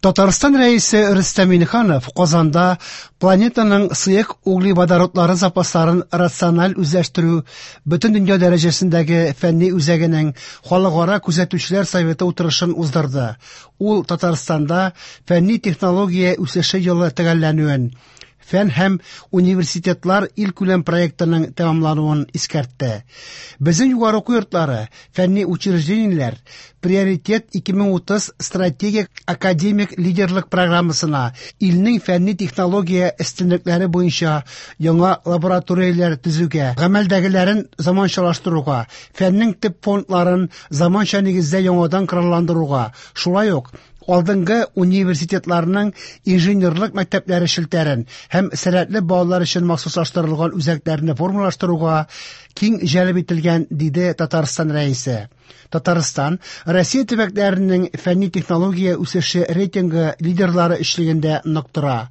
Татарстан Рәисе Рөстәм Миңнеханов Казанда планетаның сыек углеводородлары запасларын рациональ үзләштерү бөтендөнья дәрәҗәсендәге фәнни үзәгенең Халыкара күзәтүчеләр советы утырышын уздырды. Ул Татарстанда фәнни-технология үсеше елы төгәлләнүен, Фән һәм университетлар илкүләм проектының тәмамлануын искәртте. Безнең югары уку йортлары, фәнни учреждениеләр Приоритет 2030 стратегик академик лидерлык программасына, илнең фәнни-технология өстенлекләре буенча яңа лабораторияләр төзүгә, гамәлдәгеләрен заманчалаштыруга, фәннең төп фондларын заманча нигездә яңадан коралландыруга, шулай ук алдынгы университетларның инженерлык мәктәпләре челтәрен һәм сәләтле балалар өчен махсуслаштырылган үзәкләрне формалаштыруга киң җәлеп ителгән, диде Татарстан Рәисе. Татарстан Россия төбәкләренең фәнни-технология үсеше рейтингы лидерлары өчлегендә нык тора.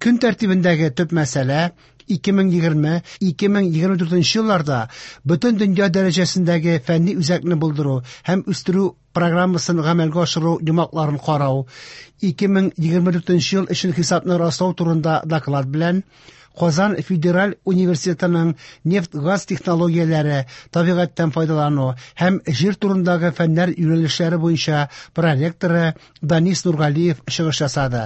Көн тәртибендәге төп мәсьәлә 2020-2024 елларда бөтен дөнья дәрәҗәсендәге фәнни үзәкне булдыру һәм үстерү программасын гамәлгә ашыру йомгакларын карау, 2024 ел өчен хисапны раслау турында доклад белән Казан федераль университетының нефть-газ технологияләре, табигатьтән файдалану һәм җир турындагы фәннәр юнәлешләре буенча проректоры Данис Нургалиев чыгыш ясады.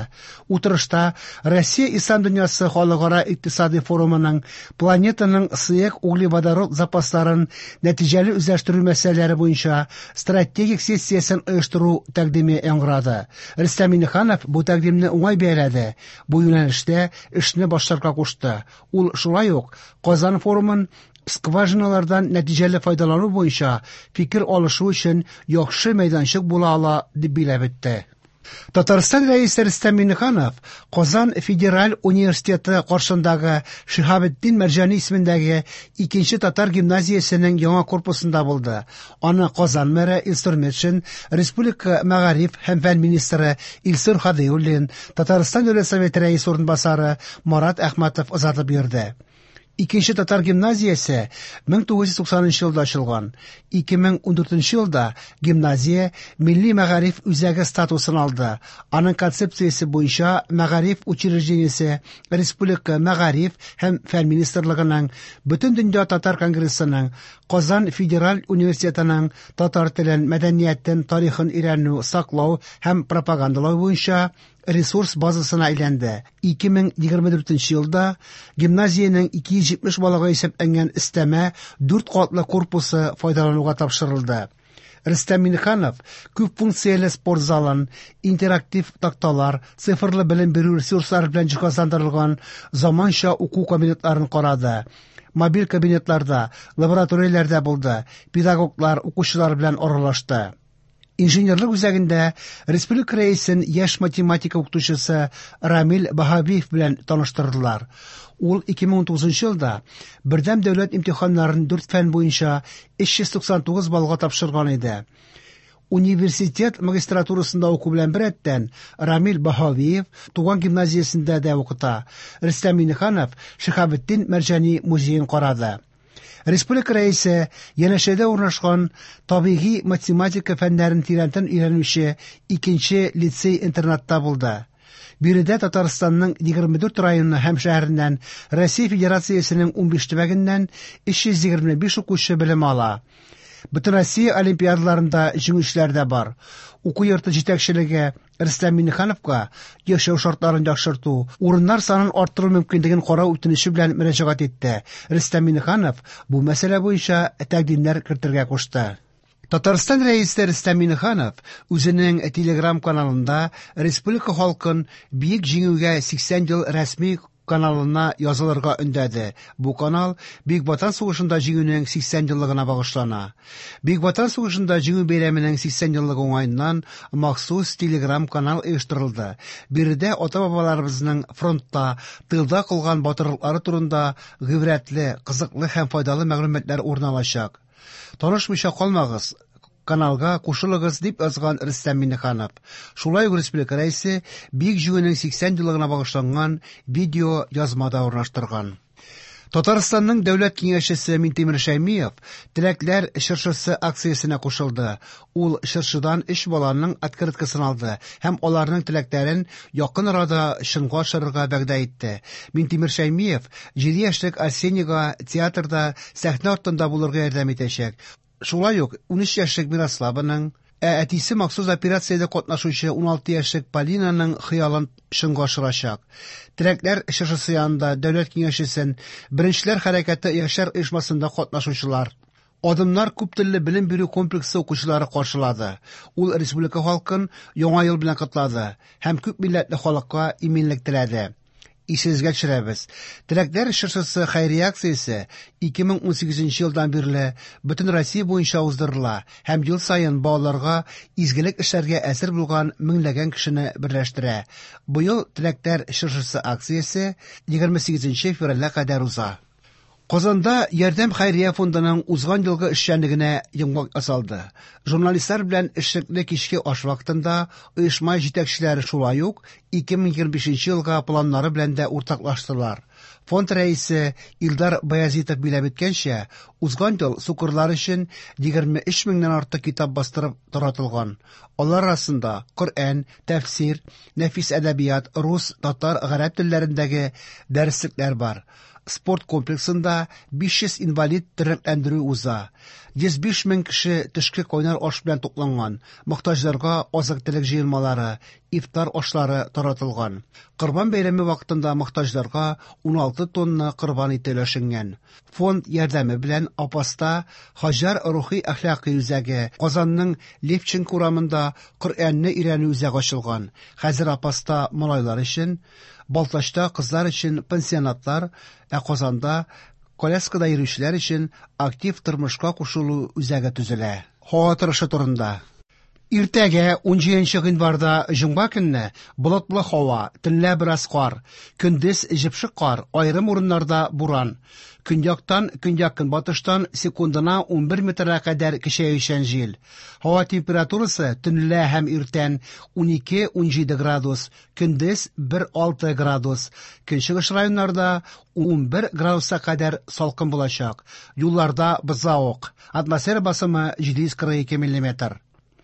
Утырышта Россия Ислам дөньясы халыкара икътисади форумының планетаның сыек углеводород запасларын нәтиҗәле үзләштерү мәсьәләләре буенча стратегик сессиясен оештыру тәкъдиме яңгырады. Рөстәм Миңнеханов бу тәкъдимне уңай бәяләде, бу юнәлештә эшне башларга кушты. Ул шулай ук Казан форумын скважиналардан нәтиҗәле файдалану буенча фикер алышу өчен яхшы мәйданчык була ала дип билгеләп үтте. Татарстан Рәисе Рөстәм Миңнеханов Казан федераль университеты каршындагы Шиһабетдин Мәрҗани исемендәге икенче татар гимназиясенең яңа корпусында булды. Аны Казан мэры Илсур Метшин, республика мәгариф һәм фән министры Илсур Һадиуллин, Татарстан Дәүләт Советы рәисе урынбасары Марат Әхмәтов озатып йөрде. Икенче татар гимназиясе 1990 елда ачылган. 2014 елда гимназия милли мәгариф үзәге статусын алды. Аның концепциясе буенча мәгариф учреждениесе республика мәгариф һәм фән министрлыгының, Бөтендөнья татар конгрессының, Казан федераль университетының татар телен, мәдәниятен, тарихын өйрәнү, саклау һәм пропагандалау буенча ресурс базасына әйләнде. 2024 елда гимназиянең 270 балага исәпләнгән өстәмә дүрт катлы корпусы файдалануга тапшырылды. Рөстәм Миңнеханов күп функцияле спорт залын, интерактив такталар, цифрлы белем бирү ресурслары белән җиһазландырылган заманча уку кабинетларын карады. Мобиль кабинетларда, лабораторияләрдә булды, педагоглар, укучылар белән аралашты. Инженерлык үзәгендә республика рәисен яшь математика укытучысы Рамил Баһавиев белән таныштырдылар. Ул 2019 елда бердәм дәүләт имтиханнарын дүрт фән буенча 399 баллга тапшырган иде. Университет магистратурасында уку белән беррәттән Рамил Баһавиев туган гимназиясендә дә укыта. Рөстәм Миңнеханов Шиһабетдин Мәрҗани музеен карады. Республика Рәисе янәшәдә урнашкан табигый математика фәннәрен тирәнтен өйрәнүче икенче лицей-интернатта булды. Биредә Татарстанның 24 районы һәм шәһәреннән, Россия Федерациясенең 15 төбәгеннән 325 укучы белем ала. Бөтенроссия олимпиадаларында җиңүчеләр дә бар. Уку йорты җитәкчелеге Рөстәм Миңнехановка яшәү шартларын яхшырту, урыннар санын арттыру мөмкинлеген карау үтенече белән мөрәҗәгать итте. Рөстәм Миңнеханов бу мәсьәлә буенча тәкъдимнәр кертергә кушты. Татарстан Рәисе Рөстәм Миңнеханов үзенең Телеграм-каналында республика халкын Бөек Җиңүгә 80 ел рәсми каналына язылырга өндәде. Бу канал Бөек Ватан сугышында Җиңүнең 80 еллыгына багышлана. Бөек Ватан сугышында Җиңү бәйрәменең 80 еллыгы уңаеннан махсус Телеграм-канал оештырылды. Биредә ата-бабаларыбызның фронтта, тылда кылган батырлыклары турында гыйбрәтле, кызыклы һәм файдалы мәгълүматлар урын алачак. Танышмыйча калмагыз, каналга кушылыгыз, дип язган Рөстәм Миңнеханов. Шулай ук республика Рәисе Бөек Җиңүнең 80 еллыгына багышланган видео язма да урнаштырган. Татарстанның Дәүләт Киңәшчесе Минтимер Шәймиев Теләкләр чыршысы акциясенә кушылды. Ул чыршыдан өч баланың открыткасын алды һәм аларның теләкләрен якын арада чынга ашырырга вәгъдә итте. Минтимер Шәймиев 7 яшьлек Арсенийга театрда сәхнә артында булырга ярдәм итәчәк. Шулай ук 13 яшьлек Мирославаның, ә әтисе махсус операциядә катнашучы 16 яшьлек Полинаның хыялын чынга ашырачак. Теләкләр чыршысы янында Дәүләт Киңәшчесен Беренчеләр хәрәкәте яшьләр оешмасында катнашучылар, Адымнар күп телле белем бирү комплексы укучылары каршылады. Ул республика халкын Яңа ел белән котлады һәм күп милләтле халыкка иминлек теләде. Исегезгә төшерәбез, Теләкләр чыршысы хәйрия акциясе 2018 елдан бирле бөтен Россия буенча уздырыла һәм ел саен балаларга изгелек эшләргә әзер булган меңләгән кешене берләштерә. Быел Теләкләр чыршысы акциясе 28 февральгә кадәр уза. Казанда Ярдәм хәйрия фондының узган елгы эшчәнлегенә йомгак ясалды. Журналистлар белән эшлекле кичке аш вакытында оешма җитәкчеләре шулай ук 2025 елга планнары белән дә уртаклаштылар. Фонд рәисе Илдар Баязитов биләп үткәнчә, узган ел сукырлар өчен 23 меңнән артык китап бастырып таратылган. Алар арасында Коръән, тәфсир, нәфис әдәбият, рус, татар, гарәп телләрендәге дәреслекләр бар. Спорт комплексында 500 инвалид тернәкләндерү уза. 105 мең кеше төшке кайнар аш белән тукланган. Мохтаҗларга азык-төлек җыелмалары, ифтар ашлары таратылган. Корбан бәйрәме вакытында мохтаҗларга 16 тонна корбан ите өләшенгән. Фонд ярдәме белән Апаста Хаҗар рухи әхлакый үзәге, Казанның Левченко урамында Коръәнне өйрәнү үзәге ачылган. Хәзер Апаста малайлар өчен, Балтачта кызлар өчен пансионатлар, ә Казанда коляскада йөрүчеләр өчен актив тормышка кушылу үзәге төзелә. Һава торышы турында. Иртәгә 17 гыйнварда җомга көнне болытлы һава, төнлә бераз кар, көндез җепшек кар, аерым урыннарда буран. Көньяктан, көньяк-көнбатыштан секундына 11 метрга кадәр көчәючән җил. Һава температурасы төнлә һәм иртән 12-17 градус, көндез 1-6 градус. Көнчыгыш районнарда 11 градуска кадәр салкын булачак. Юлларда бозлавык. Атмосфера басымы 742 миллиметр.